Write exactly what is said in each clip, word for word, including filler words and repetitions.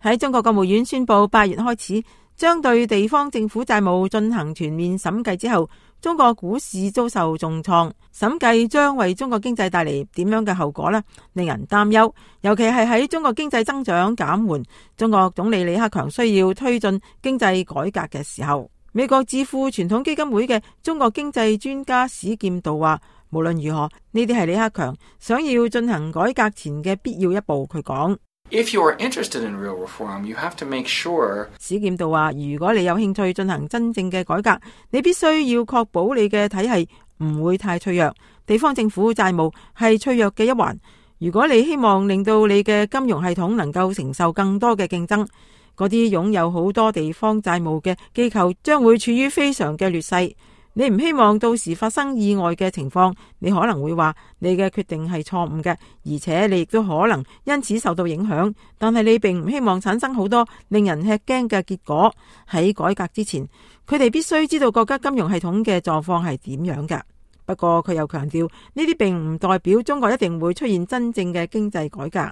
喺中國國務院宣布八月開始將對地方政府債務進行全面審計之後，中國股市遭受重創。審計將為中國經濟帶嚟點樣嘅後果呢？令人擔憂。尤其係喺中國經濟增長減緩，中國總理李克強需要推進經濟改革嘅時候。美國智庫傳統基金會嘅中國經濟專家史劍道話，無論如何，呢啲係李克強想要進行改革前嘅必要一步。佢講，If you are interested in real reform, you have to make sure。史劍道話，如果你有興趣進行真正嘅改革，你必須要確保你嘅體系唔會太脆弱。地方政府債務係脆弱嘅一環。如果你希望令到你嘅金融系統能夠承受更多嘅競爭，嗰啲擁有好多地方債務嘅機構將會處於非常嘅劣勢。你唔希望到時發生意外嘅情況，你可能會話你嘅決定係錯誤嘅，而且你亦都可能因此受到影響。但係你並唔希望產生好多令人吃驚嘅結果。喺改革之前，佢哋必須知道國家金融系統嘅狀況係點樣嘅。不過佢又強調，呢啲並唔代表中國一定會出現真正嘅經濟改革。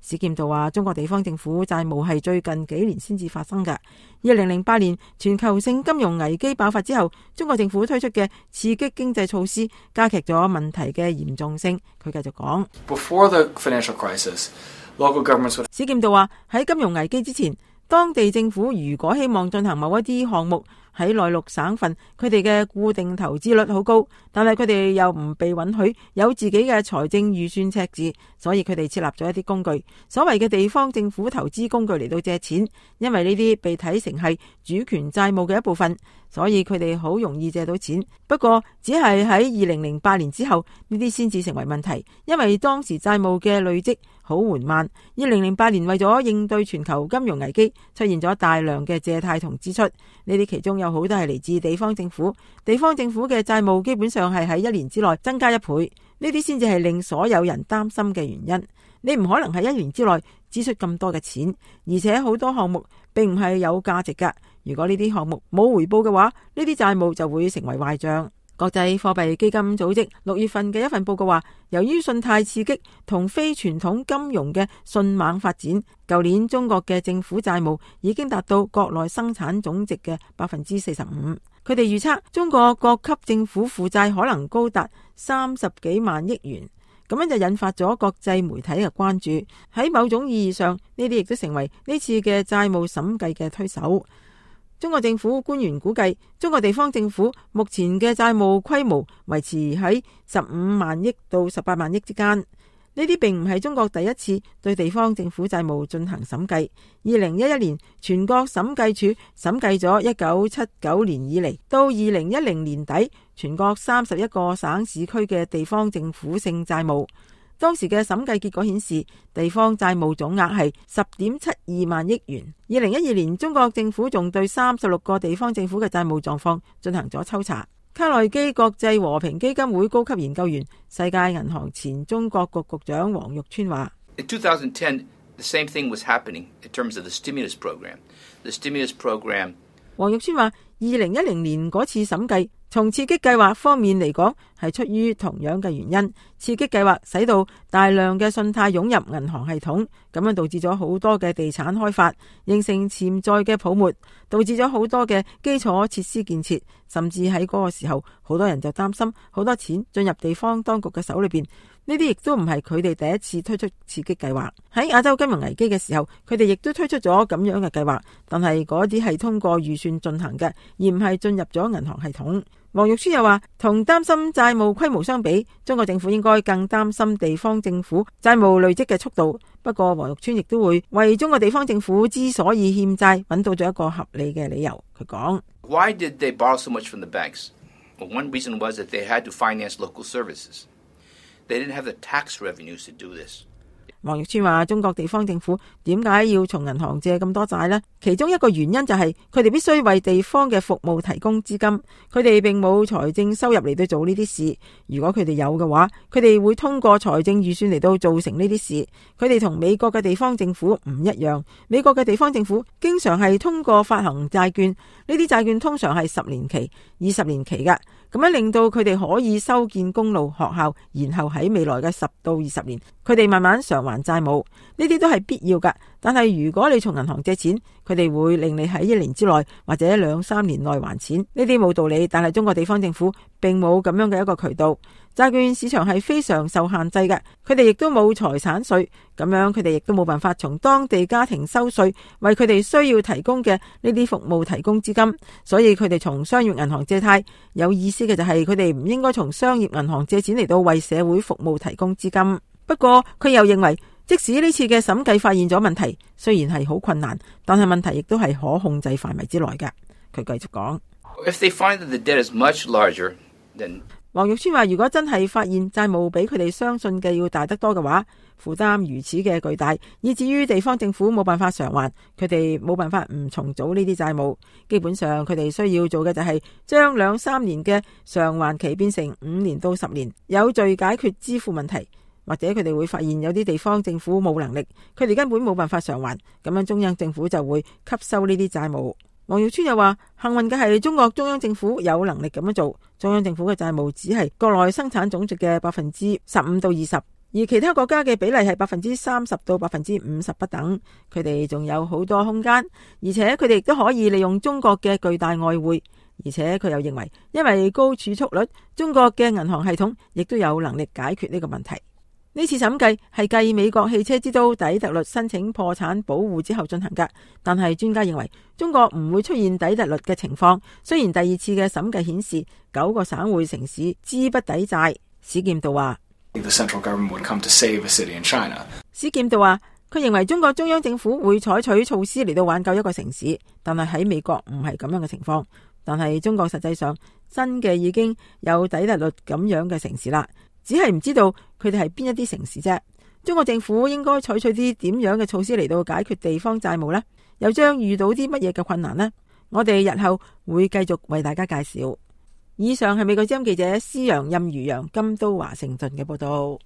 史劍道話，中國地方政府債務係最近幾年先至發生嘅。二零零八年全球性金融危機爆發之後，中國政府推出嘅刺激經濟措施加劇咗問題嘅嚴重性。佢繼續講， Before the financial crisis, local governments would... 史劍道話，喺金融危機之前，當地政府如果希望進行某一啲項目，喺內陸省份，佢哋嘅固定投資率好高，但係佢哋又唔被允許有自己嘅財政預算赤字，所以佢哋設立咗一啲工具，所謂嘅地方政府投資工具嚟到借錢。因為呢啲被睇成係主權債務嘅一部分，所以佢哋好容易借到錢。不過只係喺二零零八年之後，呢啲先至成為問題，因為當時債務嘅累積好緩慢。二零零八年為咗應對全球金融危機，出現咗大量嘅借貸同支出，呢啲其中有好多係嚟自地方政府。地方政府嘅債務基本上係喺一年之內增加一倍，呢啲先至係令所有人擔心嘅原因。你唔可能喺一年之內支出咁多嘅錢，而且好多項目並唔係有價值㗎。如果呢啲項目冇回報嘅話，呢啲債務就會成為壞賬。國際貨幣基金組織六月份嘅一份報告話，由於信貸刺激同非傳統金融嘅迅猛發展，舊年中國嘅政府債務已經達到國內生產總值嘅百分之四十五。佢哋預測中國各級政府負債可能高達三十幾萬億元，咁樣就引發咗國際媒體嘅關注。喺某種意義上，呢啲亦都成為呢次嘅債務審計嘅推手。中國政府官員估計，中國地方政府目前嘅債務規模維持喺十五萬億到十八萬億之間。呢啲並唔係中國第一次對地方政府債務進行審計。二零一一年，全國審計署審計咗一九七九年以嚟到二零一零年底全國三十一個省市區嘅地方政府性債務。當時嘅審計結果顯示，地方債務總額係十點七二萬億元。二零一二年，中國政府仲對三十六個地方政府嘅債務狀況進行咗抽查。卡內基國際和平基金會高級研究員、世界銀行前中國局局長王玉川話：In twenty ten, the same thing was happening in terms of the stimulus program. The stimulus program. 王玉川話：二零一零年嗰次審計，從刺激計劃方面嚟講，係出於同樣嘅原因。刺激計劃使到大量嘅信貸湧入銀行系統，咁樣導致咗好多嘅地產開發，形成潛在嘅泡沫，導致咗好多嘅基礎設施建設，甚至喺嗰個時候，好多人就擔心好多錢進入地方當局嘅手裏邊。呢啲亦都唔係佢哋第一次推出刺激計劃。喺亞洲金融危機嘅時候，佢哋亦都推出咗咁樣嘅計劃，但係嗰啲係通過預算進行嘅，而唔係進入咗銀行系統。王玉川又話，同擔心債務規模相比，中國政府應該更擔心地方政府債務累積嘅速度。不過王玉川亦都會為中國地方政府之所以欠債揾到咗一個合理嘅理由。佢講 Why did they borrow so much from the banks? Well, one reason was that they had to finance local services. They didn't have the tax revenues to do this. 王玉川話，中國地方政府點解要從銀行借咁多債呢？其中一個原因就係佢哋必須為地方嘅服務提供資金，佢哋並冇財政收入嚟到做呢啲事。如果佢哋有嘅話，佢哋會通過財政預算嚟到做成呢啲事。佢哋同美國嘅地方政府唔一樣，美國嘅地方政府經常係通過發行債券，呢啲債券通常係十年期、二十年期嘅，咁樣令到佢哋可以修建公路、學校，然後喺未來嘅十到二十年，佢哋慢慢償還還債務，呢啲都係必要㗎。但係如果你從銀行借錢，佢哋會令你喺一年之內或者兩三年內還錢，呢啲冇道理。但係中國地方政府並冇咁樣嘅一個渠道，債券市場係非常受限制嘅，佢哋亦都冇財產稅，咁樣佢哋亦都冇辦法從當地家庭收稅，為佢哋需要提供嘅呢啲服務提供資金，所以佢哋從商業銀行借貸。有意思嘅就係佢哋唔應該從商業銀行借錢嚟到為社會服務提供資金。不過佢又認為，即使呢次嘅審計發現咗問題，雖然係好困難，但係問題亦都係可控制範圍之內嘅。佢繼續講， If they find that the debt is much larger than黃玉川話，如果真係發現債務比佢哋相信嘅要大得多嘅話，負擔如此嘅巨大，以至於地方政府冇辦法償還，佢哋冇辦法唔重組呢啲債務。基本上佢哋需要做嘅就係將兩三年嘅償還期變成五年到十年，有序解決支付問題。或者佢哋會發現有啲地方政府冇能力，佢哋根本冇辦法償還，咁樣中央政府就會吸收呢啲債務。黃耀川又話，幸運嘅係中國中央政府有能力咁樣做，中央政府嘅債務只係國內生產總值嘅百分之十五到二十，而其他國家嘅比例係百分之三十到百分之五十不等。佢哋仲有好多空間，而且佢哋亦都可以利用中國嘅巨大外匯。而且佢又認為，因為高儲蓄率，中國嘅銀行系統亦都有能力解決呢個問題。呢次審計係繼美國汽車之都底特律申請破產保護之後進行㗎，但係專家認為中國唔會出現底特律嘅情況。雖然第二次嘅審計顯示九個省會城市資不抵債。史劍道話， The central government would come to save a city in China. 史劍道話，佢認為中國中央政府會採取措施嚟到挽救一個城市，但係喺美國唔係咁樣嘅情況。但係中國實際上真嘅已經有底特律咁樣嘅城市啦。只係唔知道佢哋係邊一啲城市啫。中國政府應該採取啲點樣嘅措施嚟到解決地方債務呢？又將遇到啲乜嘢嘅困難呢？我哋日後會繼續為大家介紹。以上係美國之音記者施陽、任如陽、金都華盛頓嘅報道。